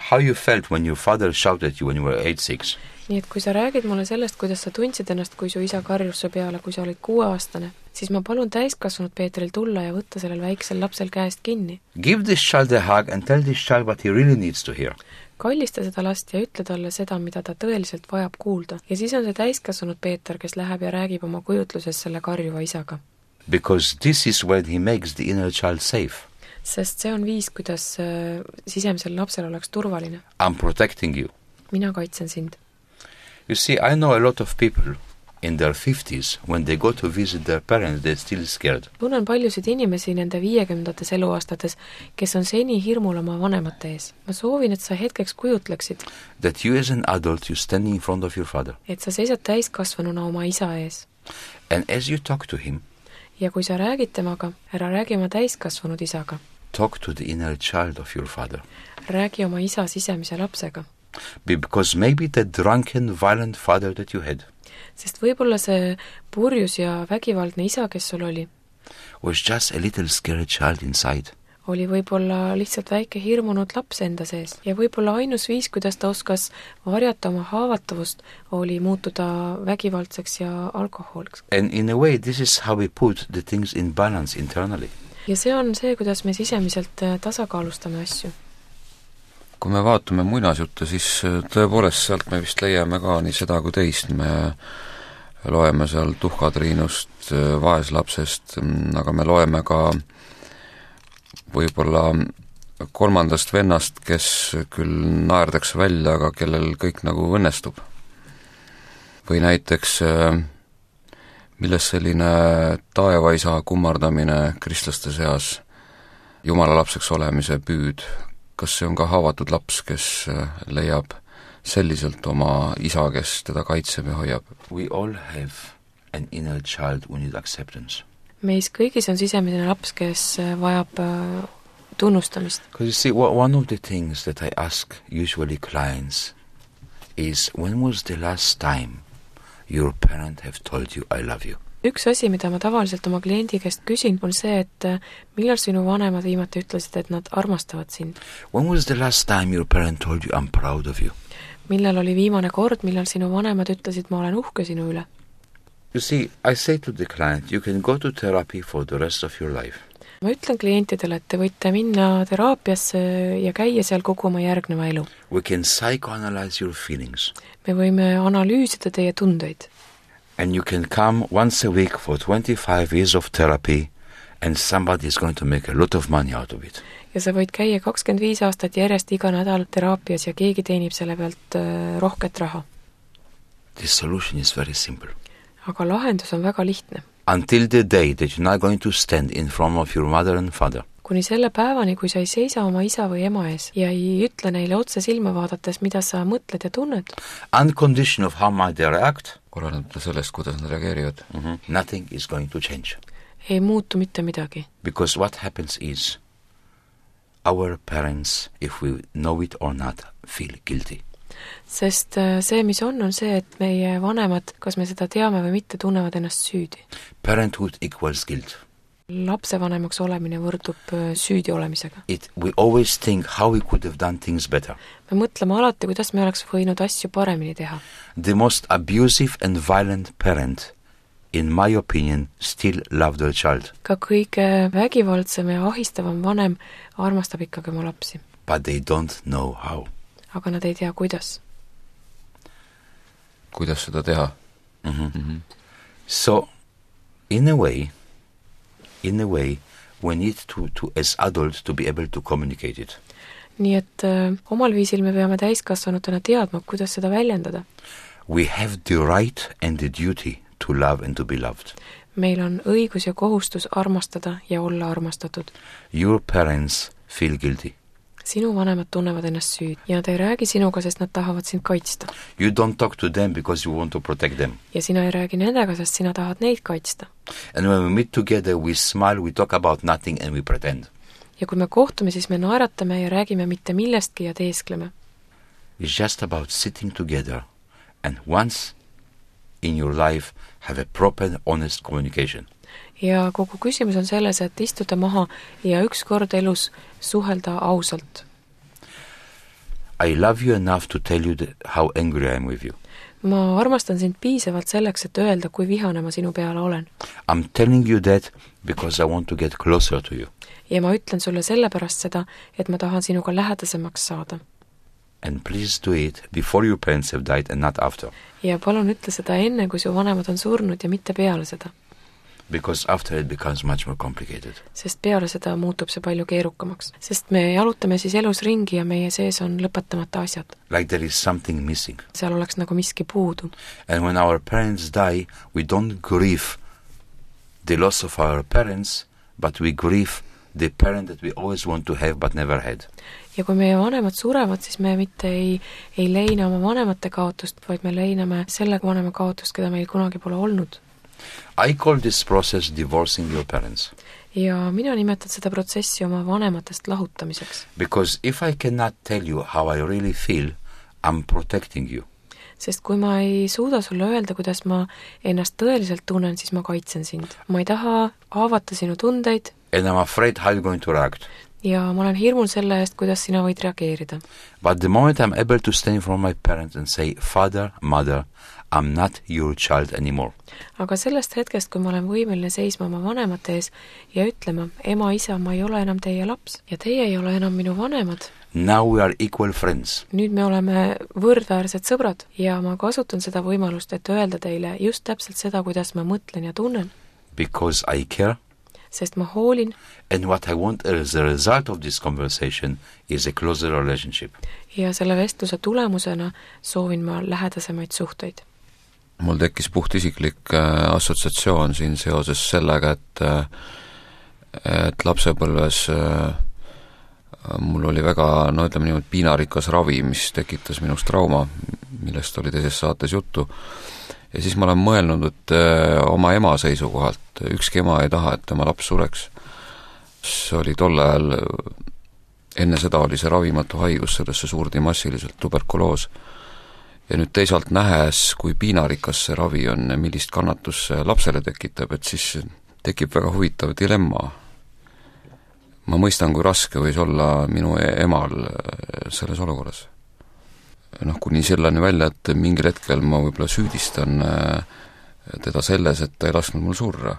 how you felt when your father shouted at you when you were eight, six. nii et kui sa räägid mulle sellest, kuidas sa tundsid ennast, kui su isa karjus su peale, kui sa olid kuueaastane, siis ma palun täiskasvanud Peetril tulla ja võtta sellel väiksel lapsel käest kinni. Give this child a hug and tell this child what he really needs to hear. Kallista seda last ja ütle talle seda, mida ta tõeliselt vajab kuulda. Ja siis on see täiskasvanud Peeter, kes läheb ja räägib oma kujutluses selle karjuva isaga. Because this is when he makes the inner child safe. Sest see on viis, kuidas äh, sisemisel lapsel oleks turvaline. I'm protecting you. Mina kaitsen sind. You see, I know a lot of people in their fifties, when they go to visit their parents, they're still scared. Tunnen paljusid inimesi nende viiekümnendates eluaastates, kes on seni hirmul oma vanemate ees. Ma soovin, et sa hetkeks kujutleksid, that you as an adult, you standing in front of your father. Et sa seisad täiskasvanuna oma isa ees. And as you talk to him, ja kui sa räägid temaga, ära räägi oma täiskasvanud isaga. Talk to the inner child of your father. Räägi oma isa sisemise lapsega. Because maybe the drunken, violent father that you had sest võib-olla see purjus ja vägivaldne isa, kes sul oli, was just a little scared child inside. oli võib-olla lihtsalt väike hirmunud laps enda sees. Ja võib-olla ainus viis, kuidas ta oskas varjata oma haavatavust, oli muutuda vägivaldseks ja alkoholiks. And in a way, this is how we put the things in balance internally. Ja see on see, kuidas me sisemiselt tasakaalustame asju. Kui me vaatame muinasjutte, siis tõepoolest sealt me vist leiame ka nii seda kui teist. Me loeme seal Tuhkatriinust, vaeslapsest, aga me loeme ka võib-olla kolmandast vennast, kes küll naerdakse välja, aga kellel kõik nagu õnnestub. Või näiteks milles selline taevaisa kummardamine kristlaste seas, Jumala lapseks olemise püüd. Kas see on ka haavatud laps, kes leiab selliselt oma isa, kes teda kaitseb ja hoiab? We all have an inner child who needs acceptance. Meis kõigis on sisemine laps, kes vajab tunnustamist. Because you see, one of the things that I ask usually clients is, when was the last time your parent have told you I love you? Üks asi, mida ma tavaliselt oma kliendi käest küsin, on see, et millal sinu vanemad viimati ütlesid, et nad armastavad sind? When was the last time your parent told you I'm proud of you? Millal oli viimane kord, millal sinu vanemad ütlesid, ma olen uhke sinu üle? You see, I say to the client, you can go to therapy for the rest of your life. Ma ütlen klientidele, et te võite minna teraapiasse ja käia seal kogu oma järgneva elu. We can psychoanalyze your feelings. Me võime analüüsida teie tundeid. And you can come once a week for twenty-five years of therapy and somebody is going to make a lot of money out of it. Ja sa võid käia kakskümmend viis aastat järjest iga nädal teraapias ja keegi teenib selle pealt rohket raha. The solution is very simple. Aga lahendus on väga lihtne. Until the day that you're not going to stand in front of your mother and father. Kuni selle päevani, kui sa ei seisa oma isa või ema ees ja ei ütle neile otse silma vaadates, mida sa mõtled ja tunned. Uncondition of how might they react. Korraldada sellest, kuidas nad reageerivad. Mm-hmm. Nothing is going to change. Ei muutu mitte midagi. Because what happens is our parents, if we know it or not, feel guilty. Sest see, mis on, on see, et meie vanemad, kas me seda teame või mitte, tunnevad ennast süüdi. Parenthood equals guilt. Lapsevanemaks olemine võrdub süüdi olemisega. It, we always think how we could have done things better. Me mõtleme alati, kuidas me oleks võinud asju paremini teha. The most abusive and violent parent, in my opinion, still love their child. Ka kõige vägivaldsem ja ahistavam vanem armastab ikkagi oma lapsi. But they don't know how. Aga nad ei tea, kuidas. Kuidas seda teha? Mm-hmm. Mm-hmm. So, in a way, in a way, we need to, to, as adults, to be able to communicate it. Nii et äh, omal viisil me peame täiskasvanutena teadma, kuidas seda väljendada. We have the right and the duty to love and to be loved. Meil on õigus ja kohustus armastada ja olla armastatud. Your parents feel guilty. Sinu vanemad tunnevad ennast süüd ja nad ei räägi sinuga, sest nad tahavad sind kaitsta. You don't talk to them because you want to protect them. Ja sina ei räägi nendega, sest sina tahad neid kaitsta. And when we meet together, we smile, we talk about nothing and we pretend. Ja kui me kohtume, siis me naeratame ja räägime mitte millestki ja teeskleme. It's just about sitting together and once in your life have a proper, honest communication. Ja kogu küsimus on selles, et istuda maha ja üks kord elus suhelda ausalt. I love you enough to tell you that how angry I am with you. ma armastan sind piisavalt selleks, et öelda, kui vihane ma sinu peale olen. I am telling you that because I want to get closer to you. ja ma ütlen sulle sellepärast seda, et ma tahan sinuga lähedasemaks saada. And please do it before your parents have died and not after. ja palun ütle seda enne, kui su vanemad on surnud ja mitte peale seda. Because after it becomes much more complicated. Sest peale seda muutub see palju keerukamaks. Sest me jalutame siis elus ringi ja meie sees on lõpetamata asjad. Like there is something missing. Seal oleks nagu miski puudu. And when our parents die, we don't grieve the loss of our parents, but we grieve the parent that we always want to have but never had. ja kui meie vanemad surevad, siis me mitte ei, ei leina oma vanemate kaotust, vaid me leiname selle vanema kaotust, keda meil kunagi pole olnud. I call this process divorcing your parents. ja mina nimetan seda protsessi oma vanematest lahutamiseks. Because if I cannot tell you how I really feel, I'm protecting you. Sest kui ma ei suuda sulle öelda, kuidas ma ennast tõeliselt tunnen, siis ma kaitsen sind. Ma ei taha haavata sinu tundeid. And I'm afraid how you're going to react. ja ma olen hirmul selle eest, kuidas sina võid reageerida. But the moment I'm able to stand in front of my parents and say, Father, Mother, I'm not your child anymore. aga sellest hetkest, kui ma olen võimeline seisma oma vanemate ees ja ütlema, ema, isa, ma ei ole enam teie laps ja teie ei ole enam minu vanemad. Now we are equal friends. nüüd me oleme võrdväärsed sõbrad ja ma kasutan seda võimalust, et öelda teile just täpselt seda, kuidas ma mõtlen ja tunnen. Because I care. Sest ma hoolin. And what I want as a result of this conversation is a closer relationship. ja selle vestluse tulemusena soovin ma lähedasemaid suhteid. mul tekkis puhtisiklik äh, assotsiatsioon siin seoses sellega, et äh, et lapsepõlves äh, mul oli väga, no ütleme niimoodi, piinarikas ravi, mis tekitas minust trauma, millest oli teises saates juttu. ja siis ma olen mõelnud, et äh, oma ema seisukohalt, ükski ema ei taha, et tema laps sureks. see oli tol ajal, enne seda oli see ravimatu haigus, sellesse suurdi massiliselt tuberkuloos. ja nüüd teisalt nähes, kui piinarikas see ravi on, millist kannatust see lapsele tekitab, et siis tekib väga huvitav dilemma. ma mõistan, kui raske võis olla minu emal selles olukorras. noh, kuni selleni välja, et mingil hetkel ma võib-olla süüdistan teda selles, et ta ei lasknud mul surra,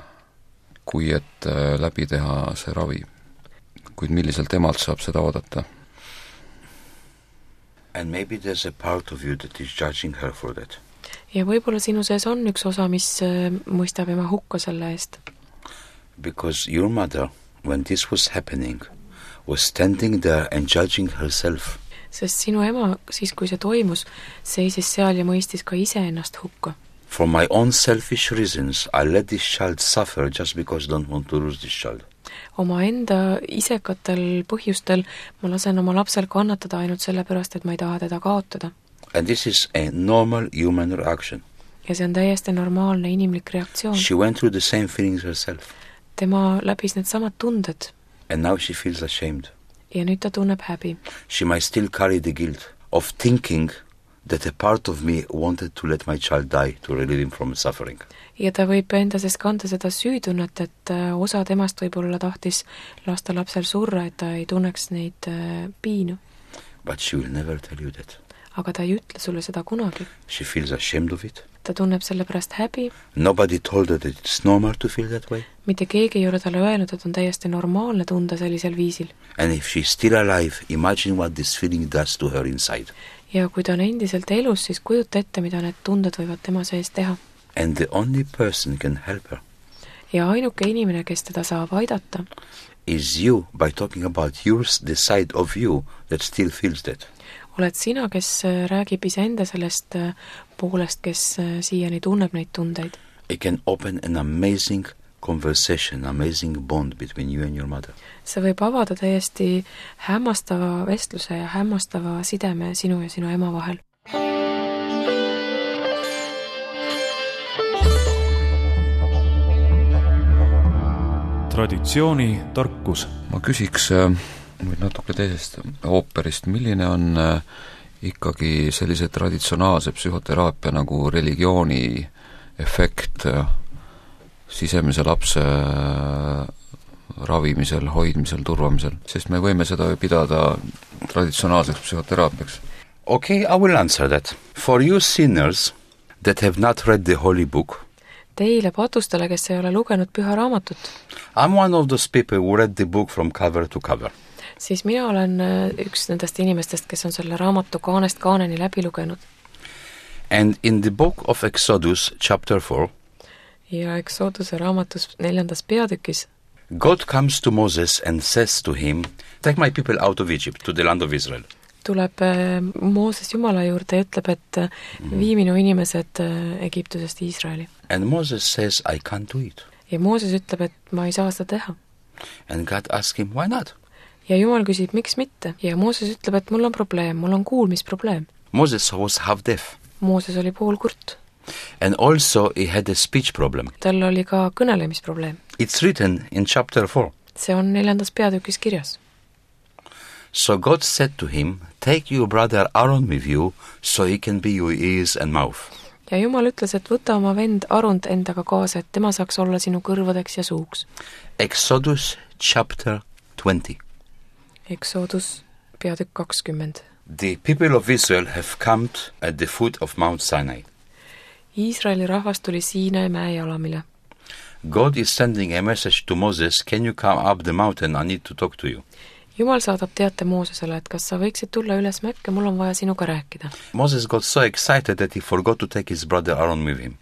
kui et läbi teha see ravi. kuid milliselt emalt saab seda oodata? And maybe there's a part of you that is judging her for that. ja võib-olla sinu sees on üks osa, mis mõistab ema hukka selle eest. Because your mother, when this was happening, was standing there and judging herself. Sest sinu ema, siis kui see toimus, seisis seal ja mõistis ka ise ennast hukka. For my own selfish reasons, I let this child suffer just because I don't want to lose this child. oma enda isekatel põhjustel ma lasen oma lapsel kannatada ainult sellepärast, et ma ei taha teda kaotada. And this is a normal human reaction. ja see on täiesti normaalne inimlik reaktsioon. She went through the same feelings herself. tema läbis need samad tunded. And now she feels ashamed. ja nüüd ta tunneb häbi. She might still carry the guilt of thinking that a part of me wanted to let my child die to relieve him from suffering. ja ta võib enda sees kanda seda süütunnet, et osa temast võib-olla tahtis lasta lapsel surra, et ta ei tunneks neid piinu. But she will never tell you that. aga ta ei ütle sulle seda kunagi. She feels ashamed of it. ta tunneb selle pärast häbi. Nobody told her that it's normal to feel that way. mitte keegi ei ole talle öelnud, et on täiesti normaalne tunda sellisel viisil. And if she's still alive, imagine what this feeling does to her inside. ja kui ta on endiselt elus, siis kujuta ette, mida need tunded võivad tema sees teha. And the only person can help her ja ainuke inimene, kes teda saab aidata, is you, by talking about yours, the side of you that still feels that. oled sina, kes räägib iseenda sellest poolest, kes siiani tunneb neid tundeid. It can open an amazing conversation, amazing bond between you and your mother. see võib avada täiesti hämmastava vestluse ja hämmastava sideme sinu ja sinu ema vahel. Traditsiooni tarkus. ma küsiks nüüd natuke teisest ooperist, milline on ikkagi sellise traditsionaalse psühhoteraapia nagu religiooni efekt sisemise lapse ravimisel, hoidmisel, turvamisel, sest me võime seda ju pidada traditsionaalseks psühhoteraapiaks. Okay, I will answer that. For you sinners that have not read the holy book, Teile patustele, kes ei ole lugenud püha raamatut, I'm one of those people who read the book from cover to cover. siis mina olen üks nendest inimestest, kes on selle raamatu kaanest kaaneni läbi lugenud. And in the book of Exodus, chapter four, ja Exoduse raamatus neljandas peatükis God comes to Moses and says to him, take my people out of Egypt, to the land of Israel. tuleb Mooses Jumala juurde ja ütleb, et vii minu inimesed Egiptusest Iisraeli. And Moses says, I can't do it. ja Mooses ütleb, et ma ei saa seda teha. And God asks him, why not? ja Jumal küsib, miks mitte? ja Mooses ütleb, et mul on probleem, mul on kuulmisprobleem. Moses was half deaf. Mooses oli poolkurt. And also he had a speech problem. tal oli ka kõnelemisprobleem. It's written in chapter four. see on neljandas peatükis kirjas. So God said to him, take your brother Aaron with you, so he can be your ears and mouth. ja Jumal ütles, et võta oma vend Arund endaga kaasa, et tema saaks olla sinu kõrvadeks ja suuks. Exodus chapter twenty. Exodus peatükk kakskümmend. The people of Israel have camped at the foot of Mount Sinai. Iisraeli rahvas tuli Siinai mäe jalamile. God is sending a message to Moses, can you come up the mountain, I need to talk to you. Jumal saadab teate Moosesele, et kas sa võiksid tulla üles mäkke, mul on vaja sinuga rääkida. Moses got so excited that he forgot to take his brother Aaron with him.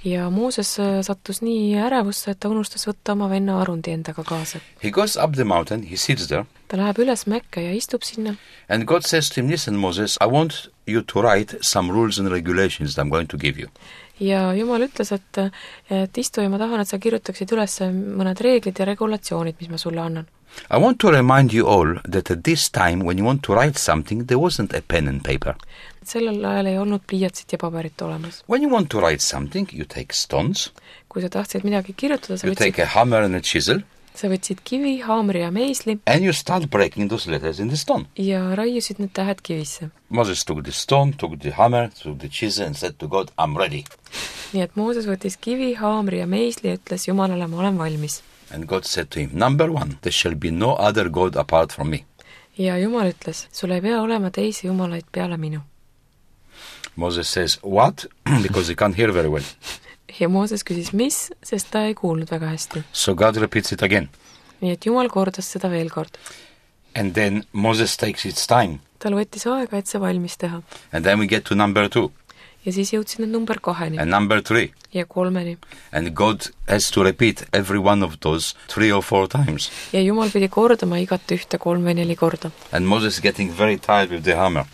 ja Mooses sattus nii ärevusse, et ta unustas võtta oma venna Arundi endaga kaasa. He goes up the mountain, he sits there. ta läheb üles mäkke ja istub sinna. And God says to him, listen Moses, I want you to write some rules and regulations that I'm going to give you. ja Jumal ütles, et, et istu ja ma tahan, et sa kirjutaksid üles mõned reeglid ja regulatsioonid, mis ma sulle annan. I want to remind you all that at this time when you want to write something, there wasn't a pen and paper. sellel ajal ei olnud pliiatsit ja paberit olemas. When you want to write something, you take stones, kui sa tahtsid midagi kirjutada, sa you take võtsid, a hammer and a chisel, sa võtsid kivi, haamri ja meisli and you start breaking those letters in the stone. ja raiusid need tähed kivisse. Moses took the stone, took the hammer, took the chisel and said to God, I'm ready. nii et Mooses võttis kivi, haamri ja meisli ja ütles Jumalale, ma olen valmis. And God said to him, number one, there shall be no other God apart from me. ja Jumal ütles, sul ei pea olema teisi jumalaid peale minu. Moses says, what? Because he can't hear very well. ja Mooses küsis, mis, sest ta ei kuulnud väga hästi. So God repeats it again. nii et Jumal kordas seda veel kord. And then Moses takes its time. tal võttis aega, et see valmis teha. And then we get to number two. ja siis jõudsid nad number kaheni And number three. ja kolmeni. And God has to repeat every one of those three or four times. ja Jumal pidi kordama igat ühte kolm või neli korda. And Moses getting very tired with the hammer.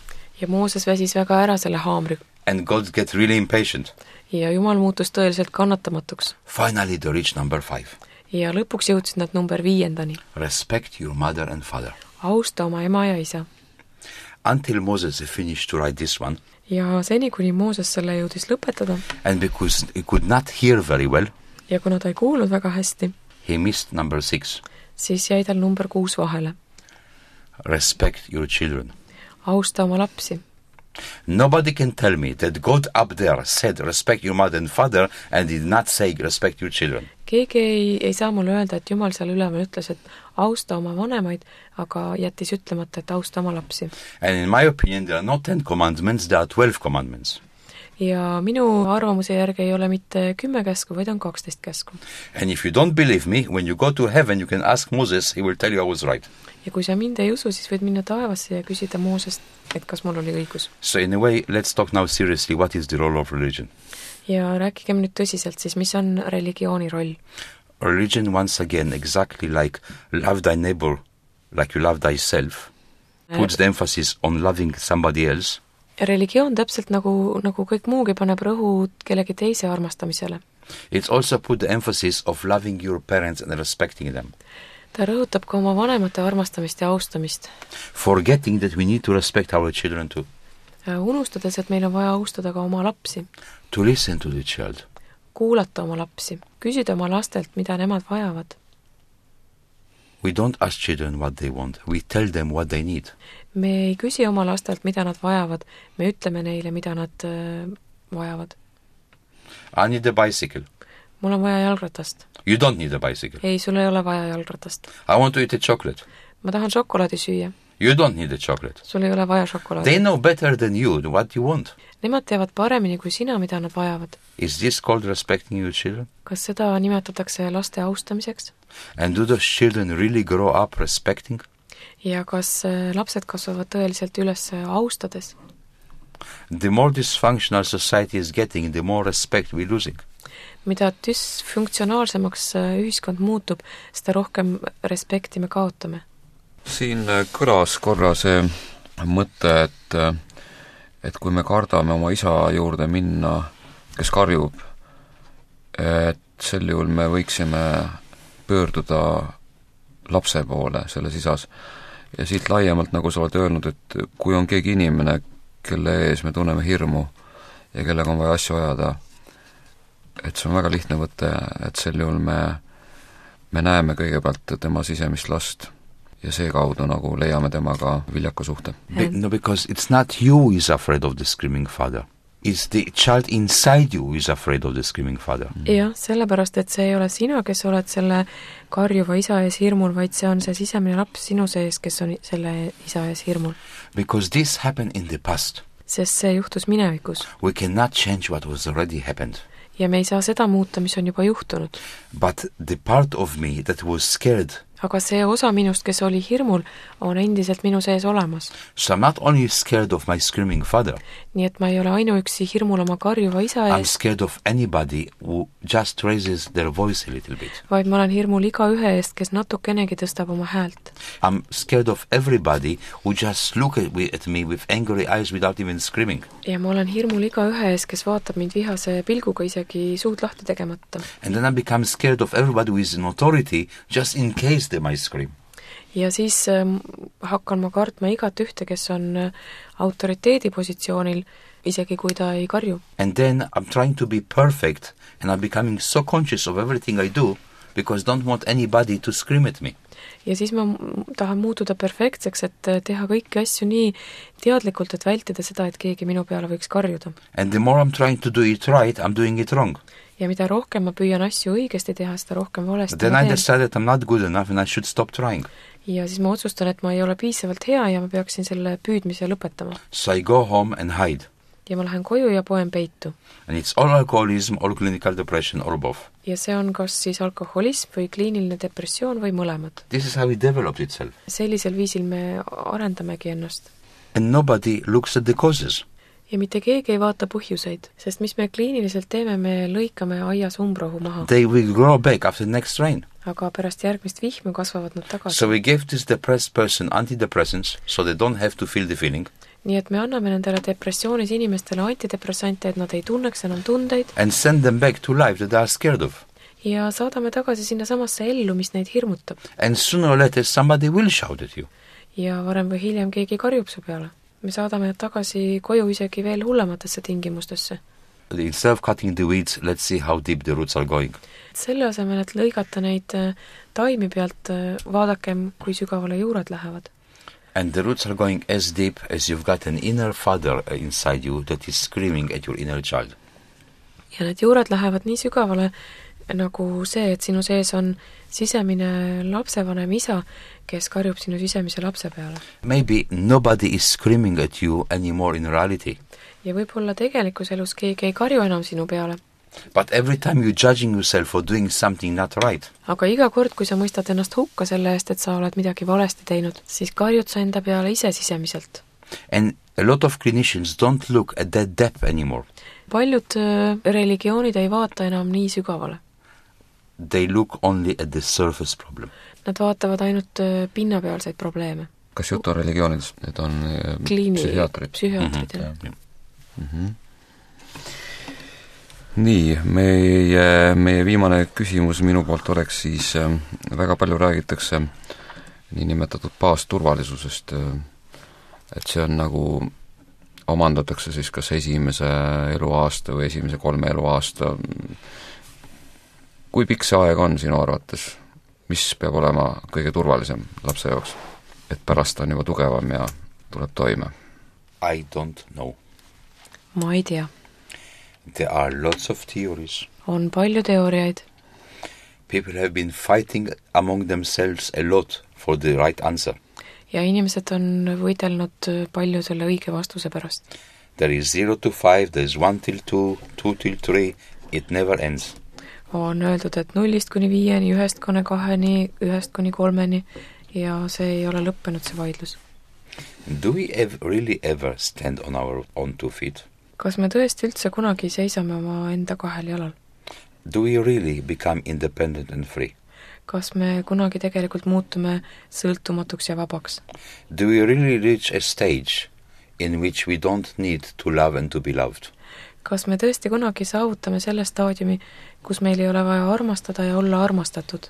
ja Mooses väsis väga ära selle haamri. And God get really impatient. ja Jumal muutus tõeliselt kannatamatuks. Finally they reach number five. ja lõpuks jõudsid nad number viiendani. Respect your mother and father. austa oma ema ja isa. Until Moses finished to write this one. ja seni, kuni Mooses selle jõudis lõpetada. And because he could not hear very well. ja kuna ta ei kuulnud väga hästi. He missed number six. siis jäi tal number kuus vahele. Respect your children. austa oma lapsi. Nobody can tell me that God up there said respect your mother and father and did not say respect your children. keegi ei, ei saa mulle öelda, et Jumal seal üleval ütles, et austa oma vanemaid, aga jättis ütlemata, et austa oma lapsi. And in my opinion there are not ten commandments, there are twelve commandments. ja minu arvamuse järgi ei ole mitte kümme käsku, vaid on kaksteist käsku. And if you don't believe me, when you go to heaven you can ask Moses, he will tell you I was right. ja kui sa mind ei usu, siis võid minna taevasse ja küsida Moosest, et kas mul oli õigus. So in a way, let's talk now seriously, what is the role of religion? ja rääkigem nüüd tõsiselt siis, mis on religiooni roll? Religion, once again, exactly like love thy neighbor like you love thyself, puts the emphasis on loving somebody else. religioon täpselt nagu, nagu kõik muugi paneb rõhud kellegi teise armastamisele. It's also put the emphasis of loving your parents and respecting them. ta rõhutab ka oma vanemate armastamist ja austamist. Forgetting that we need to respect our children too. unustades, et meil on vaja austada ka oma lapsi. To listen to the child. kuulata oma lapsi, küsida oma lastelt, mida nemad vajavad. We don't ask children what they want, we tell them what they need. me ei küsi oma lastelt, mida nad vajavad, me ütleme neile, mida nad äh, vajavad. I need a bicycle. mul on vaja jalgratast. You don't need a bicycle. ei, sul ei ole vaja jalgratast. I want to eat a chocolate. ma tahan šokolaadi süüa. You don't need a chocolate. sul ei ole vaja šokolaadi. They know better than you what you want. Nemad teavad paremini kui sina, mida nad vajavad. Is this called respecting your children? Kas seda nimetatakse laste austamiseks? And do those children really grow up respecting? Ja kas lapsed kasvavad tõeliselt üles austades? The more dysfunctional society is getting, the more respect we're losing. Mida dysfunktsionaalsemaks ühiskond muutub, seda rohkem respekti me kaotame. Siin kõlas korra see mõte, et, et kui me kardame oma isa juurde minna, kes karjub, et sel juhul me võiksime pöörduda lapse poole selles isas. Ja siit laiemalt, nagu sa oled öelnud, et kui on keegi inimene, kelle ees me tunneme hirmu ja kellega on vaja asju ajada, et see on väga lihtne võtte, et sel juhul me, me näeme kõigepealt tema sisemist last ja see kaudu nagu leiame temaga viljaka suhte. Be- no, because it's not you who is afraid of the screaming father. It's the child inside you who is afraid of the screaming father. Jah, sellepärast, et see ei ole sina, kes oled selle karjuva isa ees hirmul, vaid see on see sisemine laps sinu sees, kes on selle isa ees hirmul. Because this happened in the past. Sest see juhtus minevikus. We cannot change what was already happened. Ja me ei saa seda muuta, mis on juba juhtunud. But the part of me that was scared, aga see osa minust, kes oli hirmul, on endiselt minu sees olemas. so I'm not only scared of my screaming father, Nii et ma ei ole ainuüksi hirmul oma karjuva isa I'm ees, scared of anybody who just raises their voice a little bit. vaid ma olen hirmul iga ühe eest, kes natukenegi tõstab oma häält. I'm scared of everybody who just look at, at me with angry eyes without even screaming. Ja ma olen hirmul iga ühe eest, kes vaatab mind vihase pilguga isegi suud lahti tegemata. And then I become scared of everybody who is in authority just in case they might scream. Ja siis äh, hakkan ma kartma igat ühte, kes on äh, autoriteedi positsioonil, isegi kui ta ei karju. And then I'm trying to be perfect and I'm becoming so conscious of everything I do because I don't want anybody to scream at me. Ja siis ma tahan muutuda perfektseks, et teha kõiki asju nii teadlikult, et vältida seda, et keegi minu peale võiks karjuda. And the more I'm trying to do it right, I'm doing it wrong. Ja mida rohkem ma püüan asju õigesti teha, seda rohkem valesti Then ma I teen. decide that I'm not good enough and I should stop trying. Ja siis ma otsustan, et ma ei ole piisavalt hea ja ma peaksin selle püüdmise lõpetama. So I go home and hide. Ja ma lähen koju ja poen peitu. And it's all alcoholism or clinical depression or both. Ja see on kas siis alkoholism või kliiniline depressioon või mõlemad. This is how it develops itself. Sellisel viisil me arendamegi ennast. And nobody looks at the causes. Ja mitte keegi ei vaata põhjuseid, sest mis me kliiniliselt teeme, me lõikame aias umbrohu maha. They will grow back after the next rain. Aga pärast järgmist vihma kasvavad nad tagasi. So we give this depressed person antidepressants so they don't have to feel the feeling. Nii et me anname nendele depressioonis inimestele antidepressante, et nad ei tunneks enam tundeid. And send them back to life that they are scared of. Ja saadame tagasi sinna samasse ellu, mis neid hirmutab. And sooner or later somebody will shout at you. Ja varem või hiljem keegi karjub su peale. Me saadame nad tagasi koju isegi veel hullematesse tingimustesse. Instead of cutting the weeds, let's see how deep the roots are going. Selle asemel, et lõigata neid taimi pealt, vaadakem, kui sügavale juured lähevad. And the roots are going as deep as you've got an inner father inside you that is screaming at your inner child. Ja need juured lähevad nii sügavale, nagu see, et sinu sees on sisemine lapsevanem isa, kes karjub sinu sisemise lapse peale. Maybe nobody is screaming at you anymore in reality. Ja võib-olla tegelikus elus keegi ei karju enam sinu peale. But every time you're judging yourself for doing something not right, aga iga kord, kui sa mõistad ennast hukka selle eest, et sa oled midagi valesti teinud, siis karjud sa enda peale ise sisemiselt. And a lot of clinicians don't look at that depth anymore. Paljud äh, religioonid ei vaata enam nii sügavale. They look only at the surface problem. Nad vaatavad ainult äh, pinnapealseid probleeme. Kas jutt on religioonidest? Need on äh, Kliini, psühhiaatrid? Psühhiaatrid, mm-hmm. jah. Yeah. Mm-hmm. Nii, meie, meie viimane küsimus minu poolt oleks siis, äh, väga palju räägitakse niinimetatud baasturvalisusest, äh, et see on nagu, omandatakse siis kas esimese eluaasta või esimese kolme eluaasta. Kui pikk see aeg on sinu arvates? Mis peab olema kõige turvalisem lapse jaoks? Et pärast on juba tugevam ja tuleb toime? I don't know. Ma ei tea. There are lots of theories. On palju teooriaid. People have been fighting among themselves a lot for the right answer. ja inimesed on võidelnud palju selle õige vastuse pärast. There is zero to five, there is one till two, two till three, it never ends. On öeldud, et nullist kuni viieni, ühest kuni kaheni, ühest kuni kolmeni ja see ei ole lõppenud, see vaidlus. Do we ever, really ever stand on our own two feet? Kas me tõesti üldse kunagi seisame oma enda kahel jalal? Do we really become independent and free? Kas me kunagi tegelikult muutume sõltumatuks ja vabaks? Do we really reach a stage in which we don't need to love and to be loved? Kas me tõesti kunagi saavutame selle staadiumi, kus meil ei ole vaja armastada ja olla armastatud?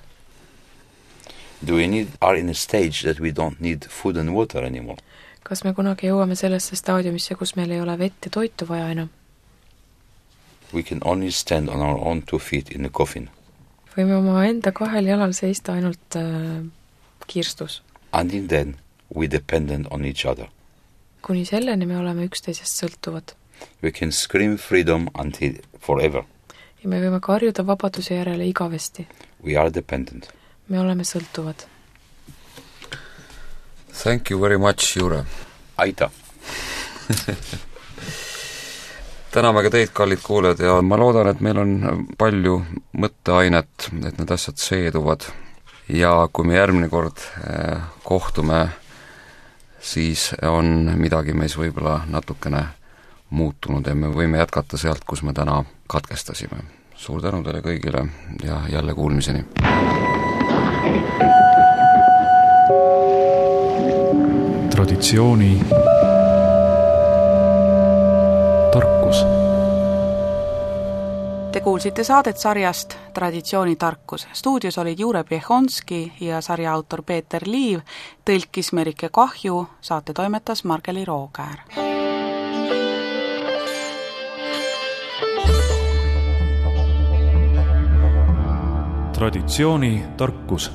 Do we need, are in a stage that we don't need food and water anymore? Kas me kunagi jõuame sellesse staadiumisse, kus meil ei ole vett ja toitu vaja enam? We can only stand on our own two feet in a coffin. Võime oma enda kahel jalal seista ainult äh, kirstus. Until then, we dependent on each other. Kuni selleni me oleme üksteisest sõltuvad. We can scream freedom until forever. Ja me võime karjuda vabaduse järele igavesti. We are dependent. Me oleme sõltuvad. Thank you very much, Jure. Aita. Täname ka teid, kallid kuulajad, ja ma loodan, et meil on palju mõtteainet, et need asjad seeduvad. Ja kui me järgmine kord eh, kohtume, siis on midagi meis võib-olla natukene muutunud ja me võime jätkata sealt, kus me täna katkestasime. Suur tänu teile kõigile ja jälle kuulmiseni. Traditsiooni tarkus. Te kuulsite saadet sarjast Traditsiooni tarkus. Stuudios olid Jure Priehonski ja sarja autor Peeter Liiv, tõlkis Merike Kahju, saate toimetas Margeli Rookäär. Traditsiooni tarkus.